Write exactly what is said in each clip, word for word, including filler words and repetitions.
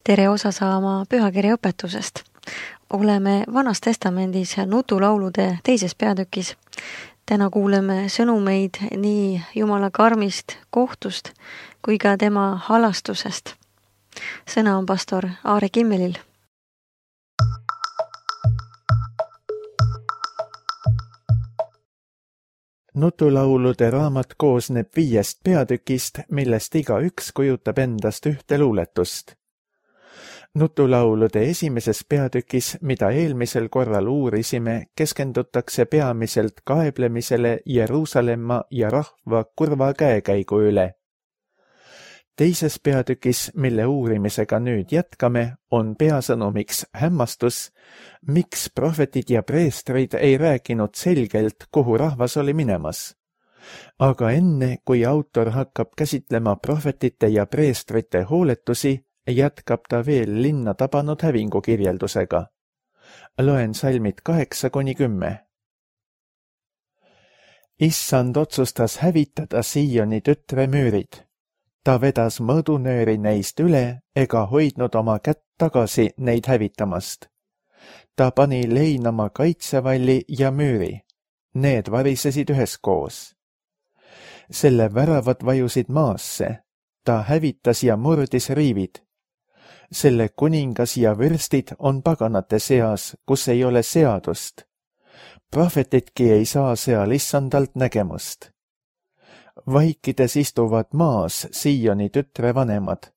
Tere osa saama pühakirja õpetusest. Oleme Vanas Testamendis nutulaulude teises peatükis. Täna kuuleme sõnumeid nii Jumala karmist kohtust kui ka tema halastusest. Sõna on pastor Aare Kimmelil. Nutulaulude raamat koosneb viiest peatükist, millest iga üks kujutab endast ühte luuletust. Nutulaulude esimeses peatükis, mida eelmisel korral uurisime, keskendutakse peamiselt kaeblemisele Jeruusalemma ja rahva kurva käekäigu üle. Teises peatükis, mille uurimisega nüüd jätkame, on peasõnumiks hämmastus, miks prohvetid ja preestrid ei rääkinud selgelt, kuhu rahvas oli minemas. Aga enne, kui autor hakkab käsitlema prohvetite ja preestrite hooletusi, jätkab ta veel linna tabanud hävingu kirjeldusega. Loen salmid kaheksa kuni kümme. Issand otsustas hävitada Sioni tütre müürid. Ta vedas mõõdunööri neist üle ega hoidnud oma kätt tagasi neid hävitamast. Ta pani leinama kaitsevalli ja müüri. Need varisesid üheskoos. Selle väravad vajusid maasse. Ta hävitas ja murdis riivid. Selle kuningas ja vürstid on paganate seas, kus ei ole seadust. Prohvetidki ei saa seal issandalt nägemust. Vaikides istuvad maas Sioni tütre vanemad.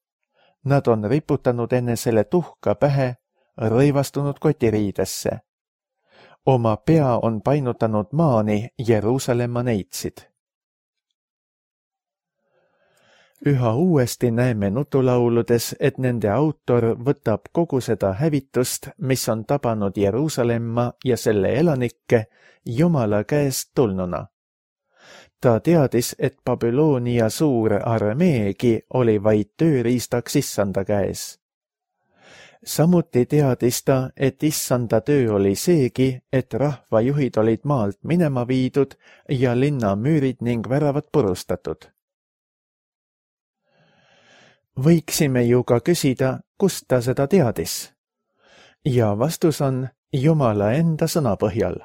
Nad on riputanud enesele tuhka pähe, rõivastunud kotiriidesse. Oma pea on painutanud maani Jeruusalemma neitsid. Üha uuesti näeme nutulauludes, et nende autor võtab kogu seda hävitust, mis on tabanud Jeruusalemma ja selle elanikke, Jumala käest tulnuna. Ta teadis, et Babyloonia suur armeegi oli vaid tööriistaks issanda käes. Samuti teadis ta, et issanda töö oli seegi, et rahvajuhid olid maalt minema viidud ja linna müürid ning väravad purustatud. Võiksime ju ka küsida, kust ta seda teadis. Ja vastus on Jumala enda sõna põhjal.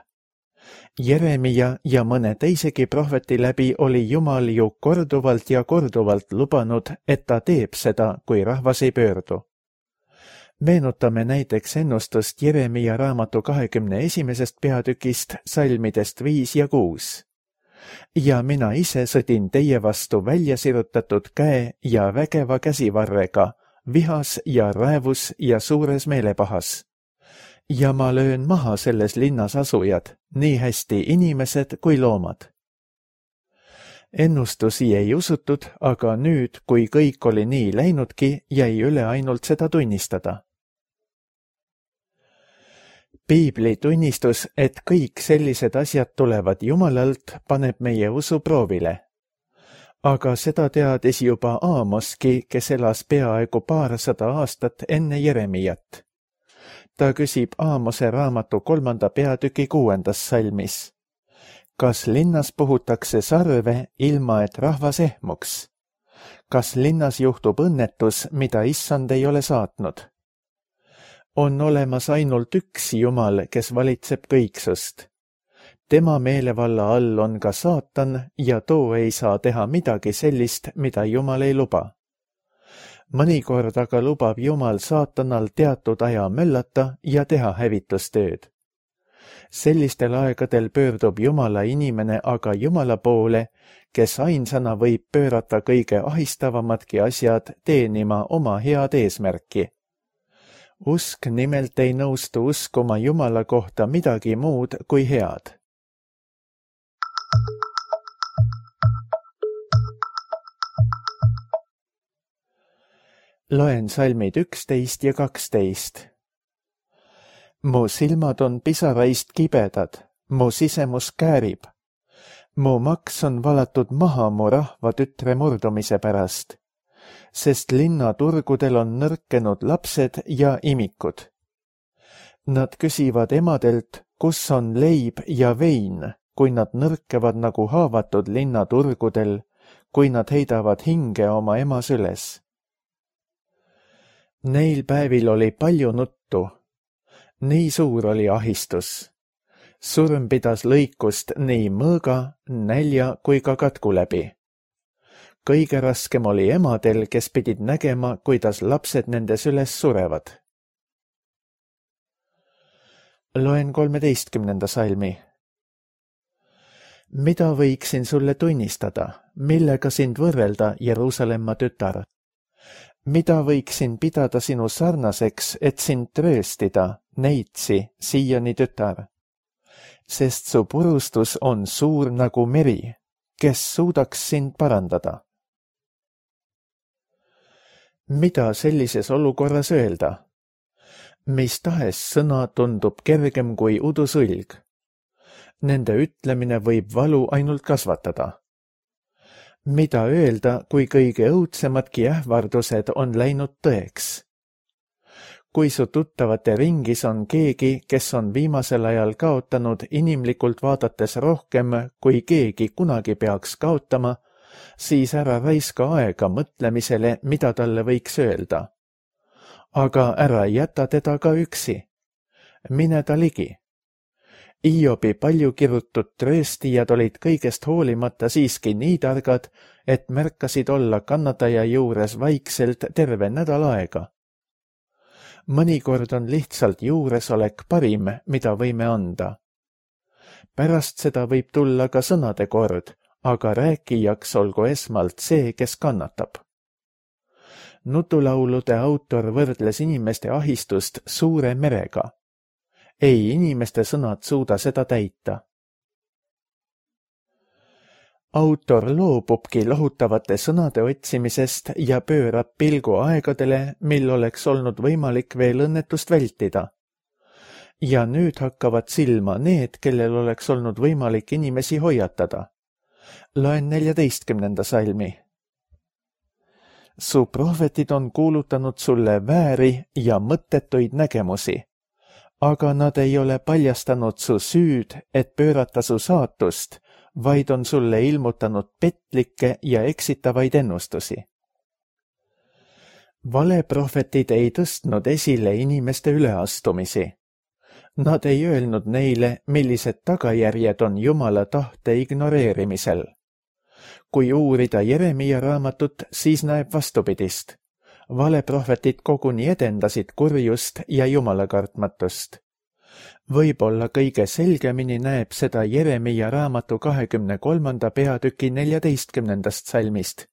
Jeremia ja mõne teisegi prohveti läbi oli Jumal ju korduvalt ja korduvalt lubanud, et ta teeb seda, kui rahvas ei pöördu. Meenutame näiteks ennustust Jeremia raamatu kahekümne esimesest peatükist, salmidest viis ja kuus. Ja mina ise sõdin teie vastu välja sirutatud käe ja vägeva käsivarrega, vihas ja räävus ja suures meelepahas. Ja ma löön maha selles linnas asujad, nii hästi inimesed kui loomad. Ennustusi ei usutud, aga nüüd, kui kõik oli nii läinudki, jäi üle ainult seda tunnistada. Piibli tunnistus, et kõik sellised asjad tulevad Jumalalt, paneb meie usu proovile. Aga seda teadis juba Aamoski, kes elas peaaegu paarsada aastat enne Jeremiat. Ta küsib Aamose raamatu kolmanda peatüki kuuendas salmis. Kas linnas puhutakse sarve, ilma et rahvas ehmuks? Kas linnas juhtub õnnetus, mida issand ei ole saatnud? On olemas ainult üks Jumal, kes valitseb kõiksust. Tema meelevalla all on ka saatan ja too ei saa teha midagi sellist, mida Jumal ei luba. Mõnikord aga lubab Jumal saatanal teatud aja möllata ja teha hävitustööd. Sellistel aegadel pöördub Jumala inimene aga Jumala poole, kes ainsana võib pöörata kõige ahistavamatki asjad teenima oma head eesmärki. Usk nimelt ei nõustu uskuma Jumala kohta midagi muud kui head. Loen salmid üksteist ja kaksteist. Mu silmad on pisaraist kibedad, mu sisemus käärib. Mu maks on valatud maha mu rahva tütre murdumise pärast, sest linnaturgudel on nõrkenud lapsed ja imikud. Nad küsivad emadelt, kus on leib ja vein, kui nad nõrkevad nagu haavatud linnaturgudel, kui nad heidavad hinge oma ema süles. Neil päevil oli palju nuttu. Nii suur oli ahistus. Surm pidas lõikust nii mõõga, nälja kui ka katku läbi. Kõige raskem oli emadel, kes pidid nägema, kuidas lapsed nendes üles surevad. Loen kolmeteistkümnenda salmi. Mida võiksin sulle tunnistada, millega sind võrrelda, Jeruusalemma tütar? Mida võiksin pidada sinu sarnaseks, et sind trööstida, neitsi, Siioni tütar? Sest su purustus on suur nagu meri, kes suudaks sind parandada? Mida sellises olukorras öelda? Mis tahes sõna tundub kergem kui udusõlg. Nende ütlemine võib valu ainult kasvatada. Mida öelda, kui kõige õudsemadki ähvardused on läinud tõeks? Kui su tuttavate ringis on keegi, kes on viimasel ajal kaotanud inimlikult vaadates rohkem, kui keegi kunagi peaks kaotama, siis ära raiska aega mõtlemisele, mida talle võiks öelda. Aga ära jäta teda ka üksi. Mine ta ligi. Iobi palju kirutud trööstijad olid kõigest hoolimata siiski nii targad, et märkasid olla kannataja juures vaikselt terve nädal aega. Mõnikord on lihtsalt juuresolek parim, mida võime anda. Pärast seda võib tulla ka sõnade kord, aga rääkijaks olgu esmalt see, kes kannatab. Nutulaulude autor võrdles inimeste ahistust suure merega. Ei inimeste sõnad suuda seda täita. Autor loobubki lohutavate sõnade otsimisest ja pöörab pilgu aegadele, mil oleks olnud võimalik veel õnnetust vältida. Ja nüüd hakkavad silma need, kellel oleks olnud võimalik inimesi hoiatada. Loen neljateistkümnenda salmi. Su prohvetid on kuulutanud sulle vääri ja mõttetuid nägemusi, aga nad ei ole paljastanud su süüd, et pöörata su saatust, vaid on sulle ilmutanud petlikke ja eksitavaid ennustusi. Valeprohvetid ei tõstnud esile inimeste üleastumisi. Nad ei öelnud neile, millised tagajärjed on Jumala tahte ignoreerimisel. Kui uurida Jeremia raamatut, siis näeb vastupidist. Valeprohvetid koguni edendasid kurjust ja jumalakartmatust. Võib-olla kõige selgemini näeb seda Jeremia raamatu kahekümne kolmanda peatüki neljateistkümnendast salmist.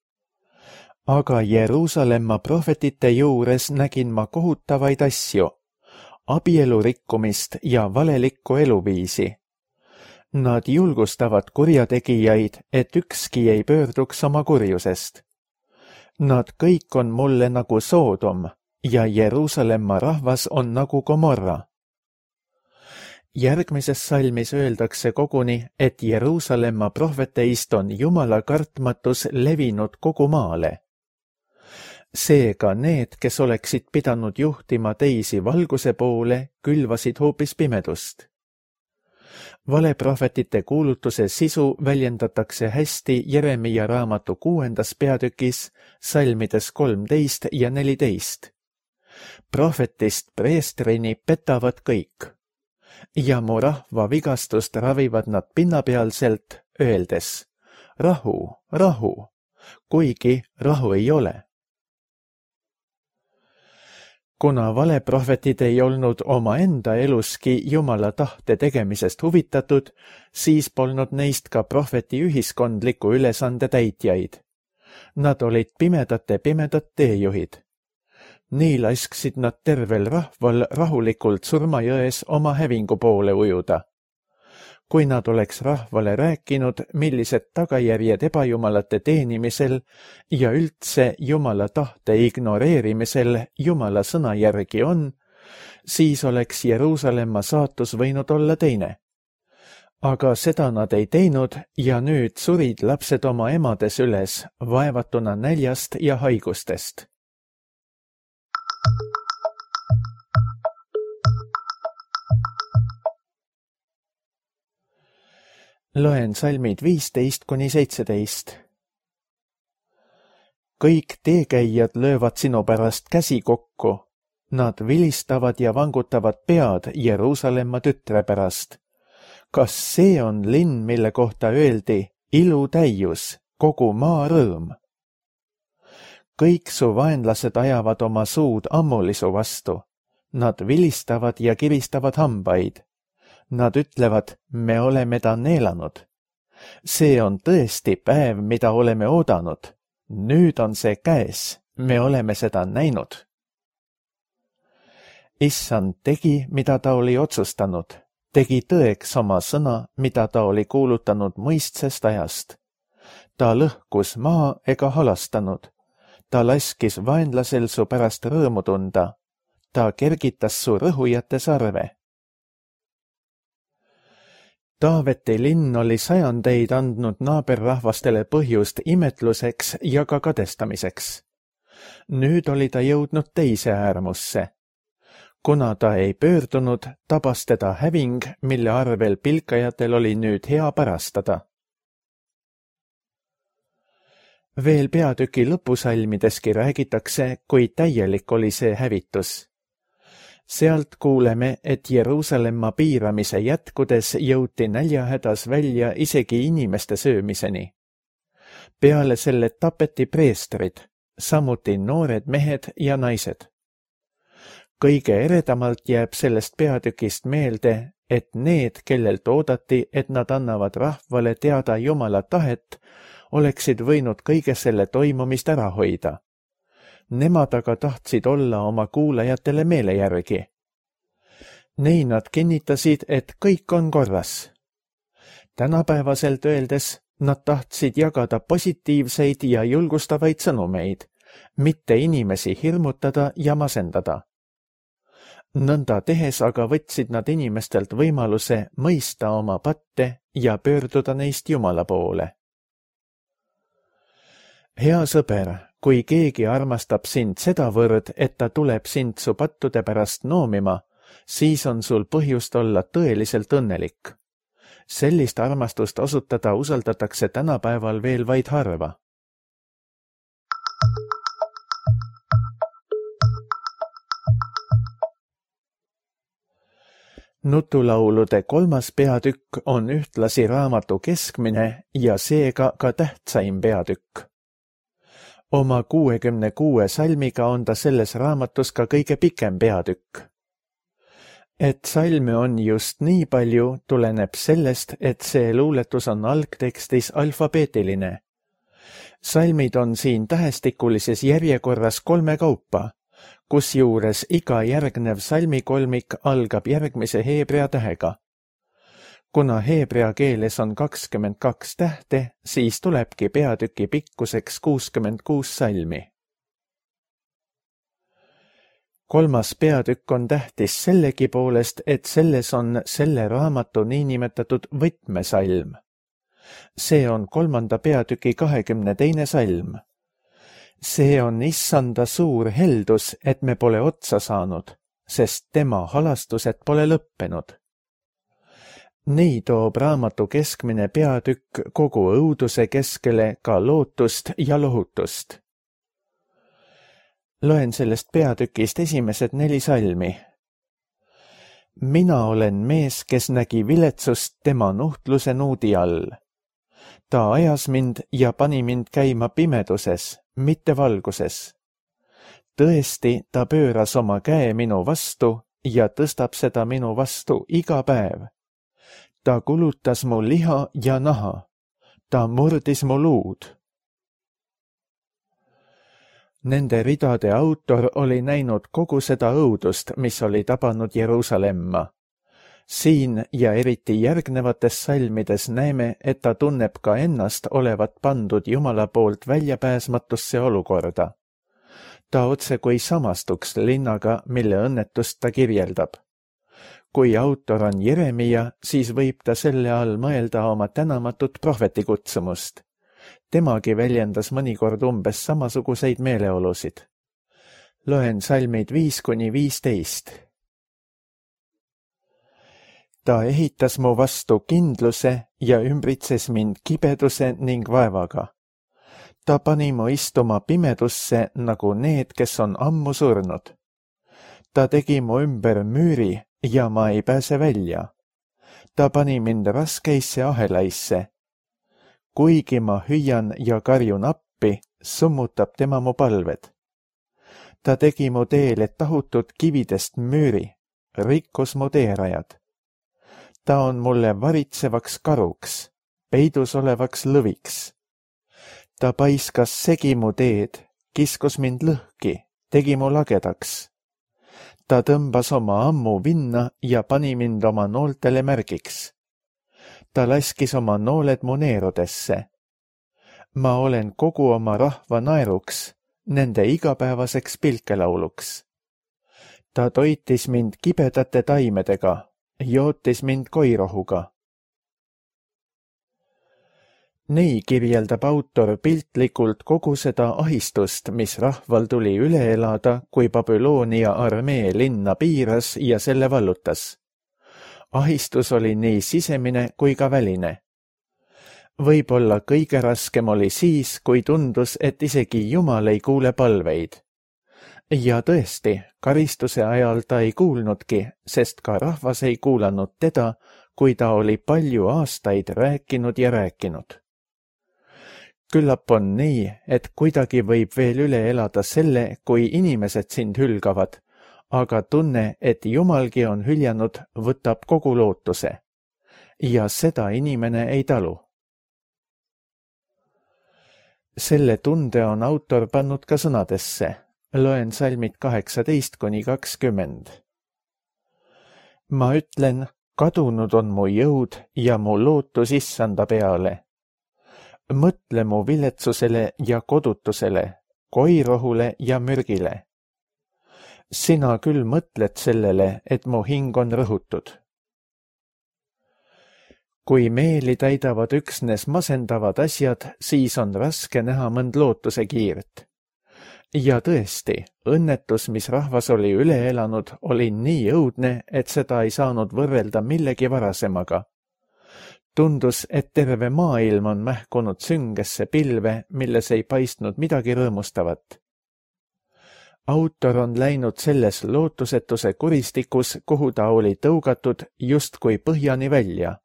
Aga Jeruusalemma prohvetite juures nägin ma kohutavaid asju, abielu rikkumist ja valelikku eluviisi. Nad julgustavad kurjategijaid, et ükski ei pöörduks oma kurjusest. Nad kõik on mulle nagu Soodom ja Jeruusalemma rahvas on nagu Gomorra. Järgmises salmis öeldakse koguni, et Jeruusalemma prohveteist on Jumala kartmatus levinud kogu maale. Seega need, kes oleksid pidanud juhtima teisi valguse poole, külvasid hoopis pimedust. Valeprohvetite kuulutuse sisu väljendatakse hästi Jeremia raamatu kuuendas peatükis, salmides kolmteist ja neliteist. Prohvetist preestrini petavad kõik. Ja mu rahva vigastust ravivad nad pinnapealselt, öeldes, rahu, rahu, kuigi rahu ei ole. Kuna valeprohvetid ei olnud omaenda eluski Jumala tahte tegemisest huvitatud, siis polnud neist ka prohveti ühiskondliku ülesande täitjaid. Nad olid pimedate pimedad teejuhid. Nii lasksid nad tervel rahval rahulikult surmajões oma hävingu poole ujuda. Kui nad oleks rahvale rääkinud, millised tagajärjed ebajumalate teenimisel ja üldse Jumala tahte ignoreerimisel Jumala sõna järgi on, siis oleks Jeruusalemma saatus võinud olla teine. Aga seda nad ei teinud ja nüüd surid lapsed oma emades üles, vaevatuna näljast ja haigustest. Loen salmid viisteist kuni seitseteist. Kõik teekäijad löövad sinu pärast käsi kokku, Nad vilistavad ja vangutavad pead Jeruusalemma tütre pärast. Kas see on linn, mille kohta öeldi ilu täius, kogu maa rõõm? Kõik su vaenlased ajavad oma suud ammulisu vastu. Nad vilistavad ja kiristavad hambaid. Nad ütlevad, me oleme ta neelanud. See on tõesti päev, mida oleme oodanud. Nüüd on see käes, me oleme seda näinud. Issand tegi, mida ta oli otsustanud. Tegi tõeks oma sõna, mida ta oli kuulutanud mõistsest ajast. Ta lõhkus maa ega halastanud. Ta laskis vaenlasel su pärast rõõmu tunda. Ta kergitas su rõhujate sarve. Taaveti linn oli sajandeid andnud naaberrahvastele põhjust imetluseks ja ka kadestamiseks. Nüüd oli ta jõudnud teise äärmusse. Kuna ta ei pöördunud, tabas teda häving, mille arvel pilkajatel oli nüüd hea pärastada. Veel peatüki lõpusalmideski räägitakse, kui täielik oli see hävitus. Sealt kuuleme, et Jeruusalemma piiramise jätkudes jõuti näljahädas välja isegi inimeste söömiseni. Peale selle tapeti preestrid, samuti noored mehed ja naised. Kõige eredamalt jääb sellest peatükist meelde, et need, kellelt oodati, et nad annavad rahvale teada Jumala tahet, oleksid võinud kõige selle toimumist ära hoida. Nemad aga tahtsid olla oma kuulajatele meele järgi. Nii nad kinnitasid, et kõik on korras. Tänapäevaselt öeldes nad tahtsid jagada positiivseid ja julgustavaid sõnumeid, mitte inimesi hirmutada ja masendada. Nõnda tehes aga võtsid nad inimestelt võimaluse mõista oma patte ja pöörduda neist Jumala poole. Hea sõber, kui keegi armastab sind sedavõrd, et ta tuleb sind su pattude pärast noomima, siis on sul põhjust olla tõeliselt õnnelik. Sellist armastust osutada usaldatakse tänapäeval veel vaid harva. Nutulaulude kolmas peatükk on ühtlasi raamatu keskmine ja seega ka tähtsaim peatükk. Oma kuuekümne kuue salmiga on ta selles raamatus ka kõige pikem peatükk. Et salme on just nii palju, tuleneb sellest, et see luuletus on algtekstis alfabeetiline. Salmid on siin tähestikulises järjekorras kolme kaupa, kusjuures iga järgnev salmikolmik algab järgmise heebrea tähega. Kuna heebrea keeles on kakskümmend kaks tähte, siis tulebki peatüki pikkuseks kuuskümmend kuus salmi. Kolmas peatükk on tähtis sellegi poolest, et selles on selle raamatu niinimetatud võtmesalm. See on kolmanda peatüki kahekümne teine salm. See on issanda suur heldus, et me pole otsa saanud, sest tema halastused pole lõppenud. Nii toob raamatu keskmine peatükk kogu õuduse keskele ka lootust ja lohutust. Loen sellest peatükist esimesed neli salmi. Mina olen mees, kes nägi viletsust tema nuhtluse nuudi all. Ta ajas mind ja pani mind käima pimeduses, mitte valguses. Tõesti, ta pööras oma käe minu vastu ja tõstab seda minu vastu iga päev. Ta kulutas mu liha ja naha. Ta murdis mu luud. Nende ridade autor oli näinud kogu seda õudust, mis oli tabanud Jeruusalemma. Siin ja eriti järgnevates salmides näeme, et ta tunneb ka ennast olevat pandud Jumala poolt väljapääsmatusse olukorda. Ta otse kui samastuks linnaga, mille õnnetust ta kirjeldab. Kui autor on Jeremia, siis võib ta selle all mõelda oma tänamatut prohvetikutsumust. Temagi väljendas mõnikord umbes samasuguseid meeleolusid. Loen salmid viis kuni viisteist. Ta ehitas mu vastu kindluse ja ümbritses mind kibeduse ning vaevaga. Ta pani mu istuma pimedusse nagu need, kes on ammu surnud. Ta tegi mu ümber müüri ja ma ei pääse välja. Ta pani mind raskeisse ahelaisse. Kuigi ma hüüan ja karjun appi, summutab tema mu palved. Ta tegi mu teele tahutud kividest müüri, rikkus mu teerajad. Ta on mulle varitsevaks karuks, peidus olevaks lõviks. Ta paiskas segi mu teed, kiskus mind lõhki, tegi mu lagedaks. Ta tõmbas oma ammu vinna ja pani mind oma nooltele märgiks. Ta laskis oma nooled mu neerudesse. Ma olen kogu oma rahva naeruks, nende igapäevaseks pilkelauluks. Ta toitis mind kibedate taimedega, jootis mind koirohuga. Nii kirjeldab autor piltlikult kogu seda ahistust, mis rahval tuli üle elada, kui Babyloonia armee linna piiras ja selle vallutas. Ahistus oli nii sisemine kui ka väline. Võib-olla kõige raskem oli siis, kui tundus, et isegi Jumal ei kuule palveid. Ja tõesti, karistuse ajal ta ei kuulnudki, sest ka rahvas ei kuulanud teda, kui ta oli palju aastaid rääkinud ja rääkinud. Küllap on nii, et kuidagi võib veel üle elada selle, kui inimesed sind hülgavad, aga tunne, et Jumalgi on hüljanud, võtab kogu lootuse. Ja seda inimene ei talu. Selle tunde on autor pannud ka sõnadesse. Loen salmid kaheksateist kuni kakskümmend. Ma ütlen, kadunud on mu jõud ja mu lootus issanda peale. Mõtle mu viletsusele ja kodutusele, koirohule ja mürgile. Sina küll mõtled sellele, et mu hing on rõhutud. Kui meeli täidavad üksnes masendavad asjad, siis on raske näha mõnd lootuse kiirt. Ja tõesti, õnnetus, mis rahvas oli üle elanud, oli nii õudne, et seda ei saanud võrrelda millegi varasemaga. Tundus, et terve maailm on mähkunud süngesse pilve, milles ei paistnud midagi rõõmustavat. Autor on läinud selles lootusetuse kuristikus, kuhu ta oli tõugatud justkui põhjani välja.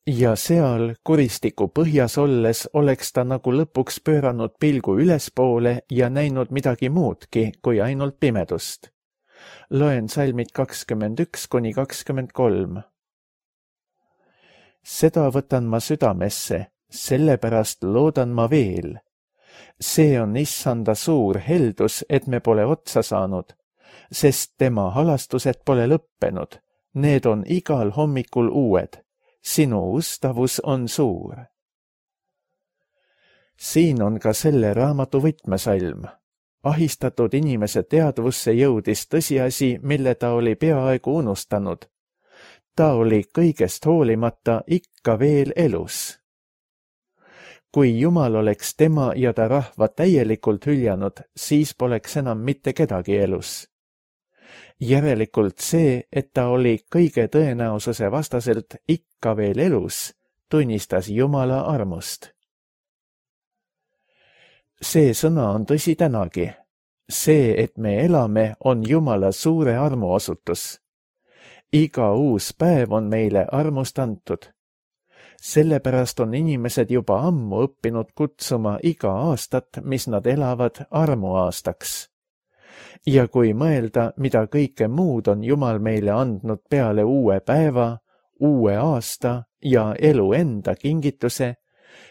Ja seal kuristiku põhjas olles oleks ta nagu lõpuks pööranud pilgu ülespoole ja näinud midagi muudki kui ainult pimedust. Loen salmid kakskümmend üks kuni kakskümmend kolm. Seda võtan ma südamesse, sellepärast loodan ma veel. See on issanda suur heldus, et me pole otsa saanud, sest tema halastused pole lõppenud. Need on igal hommikul uued. Sinu ustavus on suur. Siin on ka selle raamatu võtmesalm. Ahistatud inimese teadvusse jõudis tõsiasi, mille ta oli peaaegu unustanud. Ta oli kõigest hoolimata ikka veel elus. Kui Jumal oleks tema ja ta rahva täielikult hüljanud, siis poleks enam mitte kedagi elus. Järelikult see, et ta oli kõige tõenäosuse vastaselt ikka veel elus, tunnistas Jumala armust. See sõna on tõsi tänagi. See, et me elame, on Jumala suure armu osutus. Iga uus päev on meile armust antud. Sellepärast on inimesed juba ammu õppinud kutsuma iga aastat, mis nad elavad, armuaastaks. Ja kui mõelda, mida kõike muud on Jumal meile andnud peale uue päeva, uue aasta ja elu enda kingituse,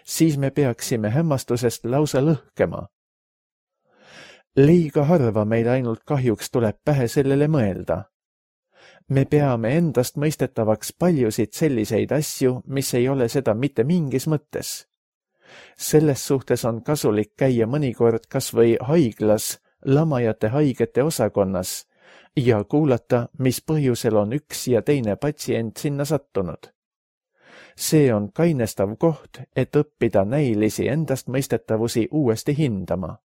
siis me peaksime hämmastusest lausa lõhkema. Liiga harva meil ainult kahjuks tuleb pähe sellele mõelda. Me peame endast mõistetavaks paljusid selliseid asju, mis ei ole seda mitte mingis mõttes. Selles suhtes on kasulik käia mõnikord kas või haiglas, lamajate haigete osakonnas ja kuulata, mis põhjusel on üks ja teine patsient sinna sattunud. See on kainestav koht, et õppida näilisi endastmõistetavusi uuesti hindama.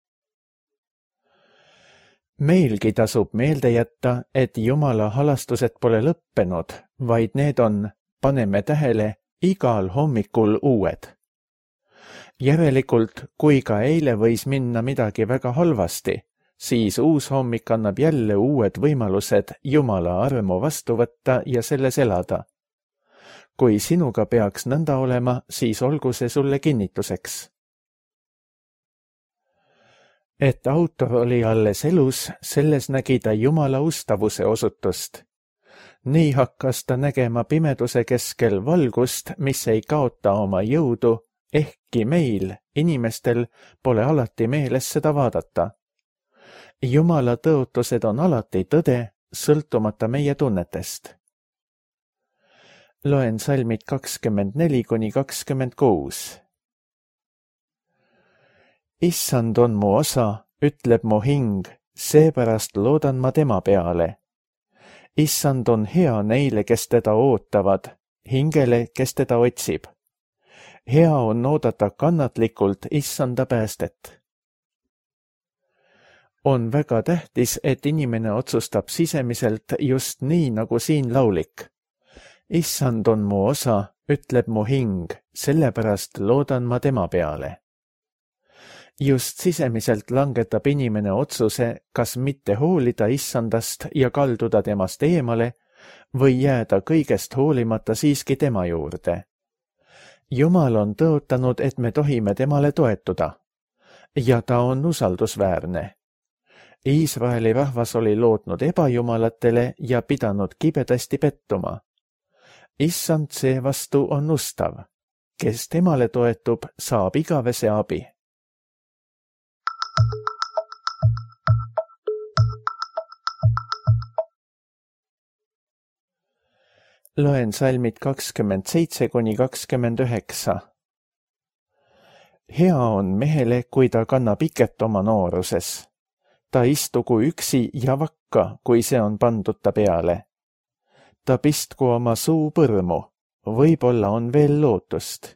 Meilgi tasub meelde jätta, et Jumala halastused pole lõppenud, vaid need on, paneme tähele, igal hommikul uued. Järelikult, kui ka eile võis minna midagi väga halvasti, siis uus hommik annab jälle uued võimalused Jumala armu vastu võtta ja selles elada. Kui sinuga peaks nõnda olema, siis olgu see sulle kinnituseks. Et autor oli alles elus, selles nägi ta Jumala ustavuse osutust. Nii hakkas ta nägema pimeduse keskel valgust, mis ei kaota oma jõudu, ehkki meil, inimestel, pole alati meeles seda vaadata. Jumala tõotused on alati tõde, sõltumata meie tunnetest. Loen salmid kakskümmend neli kuni kakskümmend kuus. Issand on mu osa, ütleb mu hing, seepärast loodan ma tema peale. Issand on hea neile, kes teda ootavad, hingele, kes teda otsib. Hea on oodata kannatlikult Issanda päästet. On väga tähtis, et inimene otsustab sisemiselt just nii, nagu siin laulik. Issand on mu osa, ütleb mu hing, sellepärast loodan ma tema peale. Just sisemiselt langetab inimene otsuse, kas mitte hoolida Issandast ja kalduda temast eemale või jääda kõigest hoolimata siiski tema juurde. Jumal on tõotanud, et me tohime temale toetuda ja ta on usaldusväärne. Iisraeli rahvas oli lootnud ebajumalatele ja pidanud kibedasti pettuma. Issand seevastu on ustav. Kes temale toetub, saab igavese abi. Loen salmid kakskümmend seitse kuni kakskümmend üheksa. Hea on mehele, kui ta kannab iket oma nooruses. Ta istugu üksi ja vakka, kui see on pandud ta peale. Ta pistku oma suu põrmu, võib-olla on veel lootust.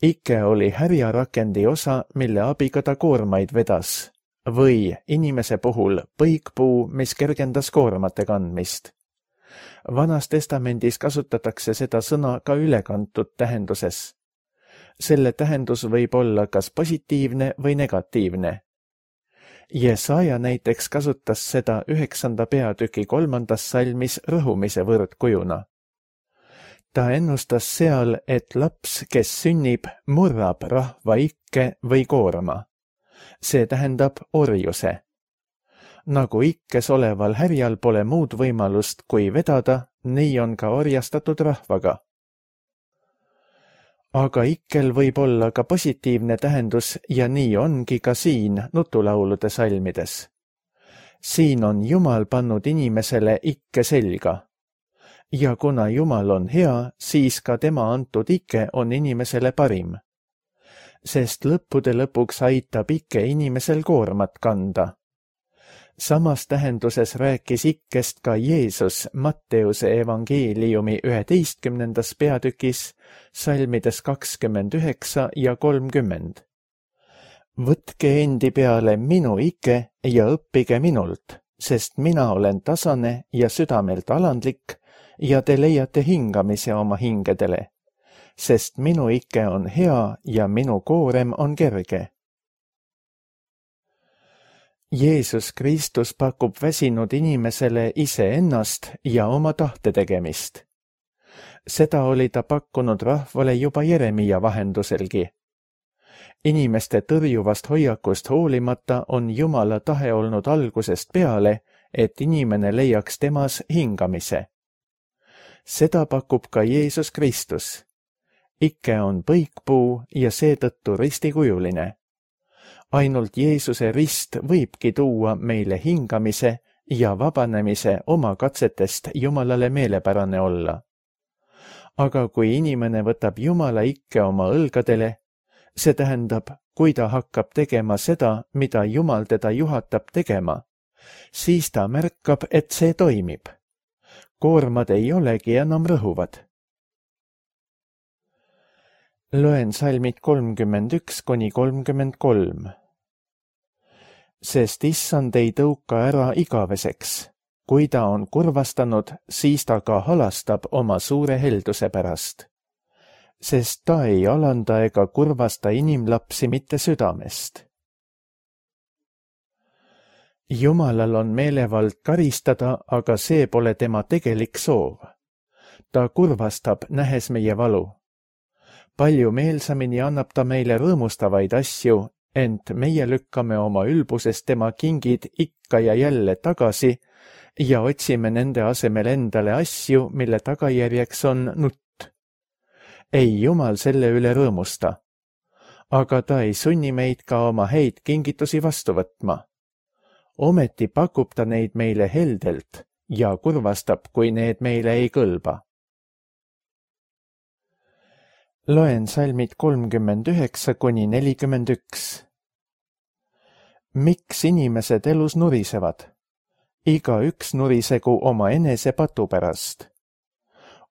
Ike oli härjarakendi osa, mille abiga ta koormaid vedas, või inimese puhul põikpuu, mis kergendas koormate kandmist. Vanas testamendis kasutatakse seda sõna ka ülekantud tähenduses. Selle tähendus võib olla kas positiivne või negatiivne. Jesaja näiteks kasutas seda üheksanda peatüki kolmandas salmis rõhumise võrdkujuna. Ta ennustas seal, et laps, kes sünnib, murrab rahva ikke või koorma. See tähendab orjuse. Nagu ikkes oleval härjal pole muud võimalust kui vedada, nii on ka orjastatud rahvaga. Aga ikkel võib olla ka positiivne tähendus ja nii ongi ka siin nutulaulude salmides. Siin on Jumal pannud inimesele ikke selga. Ja kuna Jumal on hea, siis ka tema antud ikke on inimesele parim. Sest lõppude lõpuks aitab ikke inimesel koormat kanda. Samas tähenduses rääkis ikkest ka Jeesus Matteuse evangeeliumi üheteistkümnendas peatükis, salmides kakskümmend üheksa ja kolmkümmend. Võtke endi peale minu ikke ja õppige minult, sest mina olen tasane ja südamelt alandlik ja te leiate hingamise oma hingedele, sest minu ikke on hea ja minu koorem on kerge. Jeesus Kristus pakub väsinud inimesele iseennast ja oma tahte tegemist. Seda oli ta pakkunud rahvale juba Jeremia vahenduselgi. Inimeste tõrjuvast hoiakust hoolimata on Jumala tahe olnud algusest peale, et inimene leiaks temas hingamise. Seda pakub ka Jeesus Kristus. Ikke on põikpuu ja seetõttu ristikujuline. Ainult Jeesuse rist võibki tuua meile hingamise ja vabanemise oma katsetest Jumalale meelepärane olla. Aga kui inimene võtab Jumala ikke oma õlgadele, see tähendab, kui ta hakkab tegema seda, mida Jumal teda juhatab tegema, siis ta märkab, et see toimib. Koormad ei olegi enam rõhuvad. Loen salmid kolmkümmend üks kuni kolmkümmend kolm. Sest issand ei tõuka ära igaveseks. Kui ta on kurvastanud, siis ta ka halastab oma suure helduse pärast. Sest ta ei alanda ega kurvasta inimlapsi mitte südamest. Jumalal on meelevald karistada, aga see pole tema tegelik soov. Ta kurvastab, nähes meie valu. Palju meelsamini annab ta meile rõõmustavaid asju, ent meie lükkame oma ülbusest tema kingid ikka ja jälle tagasi ja otsime nende asemel endale asju, mille tagajärjeks on nutt. Ei Jumal selle üle rõõmusta, aga ta ei sunni meid ka oma häid kingitusi vastu võtma. Ometi pakub ta neid meile heldelt ja kurvastab, kui need meile ei kõlba. Loen salmid kolmkümmend üheksa kuni nelikümmend üks. Miks inimesed elus nurisevad? Iga üks nurisegu oma enese patu pärast.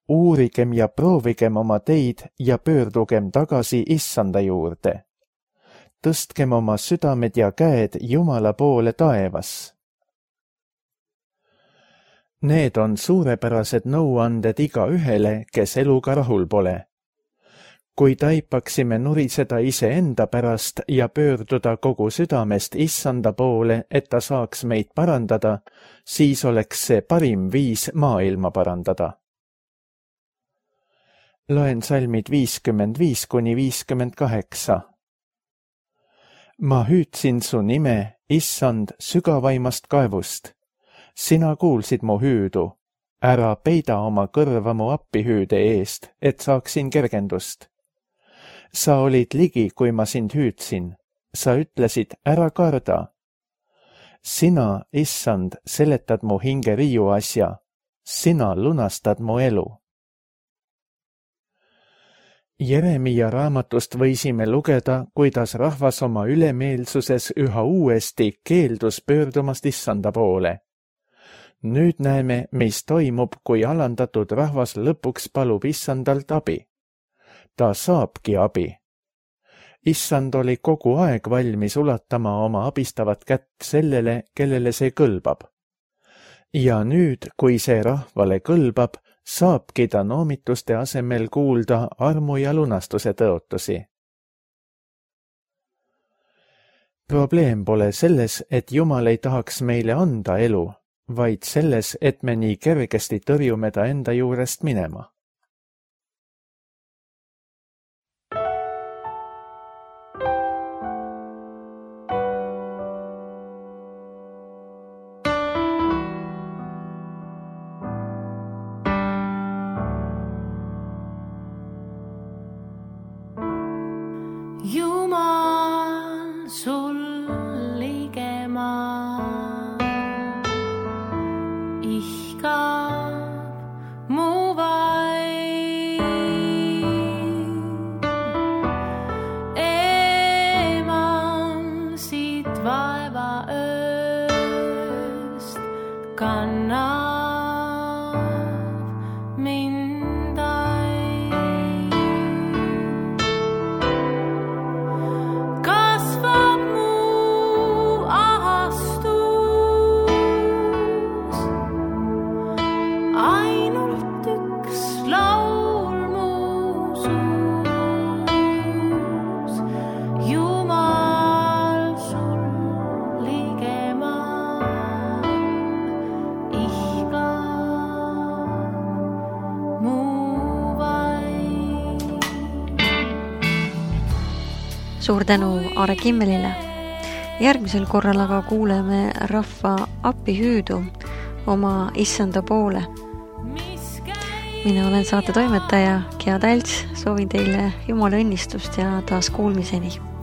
Uurigem ja proovigem oma teid ja pöördugem tagasi Issanda juurde. Tõstkem oma südamed ja käed Jumala poole taevas. Need on suurepärased nõuanded iga ühele, kes eluga rahul pole. Kui taipaksime nuriseda iseenda pärast ja pöörduda kogu südamest Issanda poole, et ta saaks meid parandada, siis oleks see parim viis maailma parandada. Loen salmid viiskümmend viis kuni viiskümmend kaheksa. Ma hüüdsin su nime, Issand, sügavaimast kaevust. Sina kuulsid mu hüüdu. Ära peida oma kõrva mu appihüüde eest, et saaksin kergendust. Sa olid ligi, kui ma sind hüüdsin. Sa ütlesid, ära karda. Sina, Issand, seletad mu hinge riiu asja. Sina lunastad mu elu. Jeremia raamatust võisime lugeda, kuidas rahvas oma ülemeelsuses üha uuesti keeldus pöördumast Issanda poole. Nüüd näeme, mis toimub, kui alandatud rahvas lõpuks palub Issandalt abi. Ta saabki abi. Issand oli kogu aeg valmis ulatama oma abistavat kätt sellele, kellele see kõlbab. Ja nüüd, kui see rahvale kõlbab, saabki ta noomituste asemel kuulda armu ja lunastuse tõotusi. Probleem pole selles, et Jumal ei tahaks meile anda elu, vaid selles, et me nii kergesti tõrjume ta enda juurest minema. Jumal sul ligemal ihkab mu vaim. Eemal siit vaeva ööst kannab mind aim. Kasvab mu ahastus, ainult üks laul mu suus. Jumal sul ligemal ihkab mu vaim. Suur tänu Aare Kimmelile. Järgmisel korral aga kuuleme rahva appihüüdu oma Issanda poole. Mina olen saate toimetaja Gea Talts, soovin teile Jumala õnnistust ja taas kuulmiseni.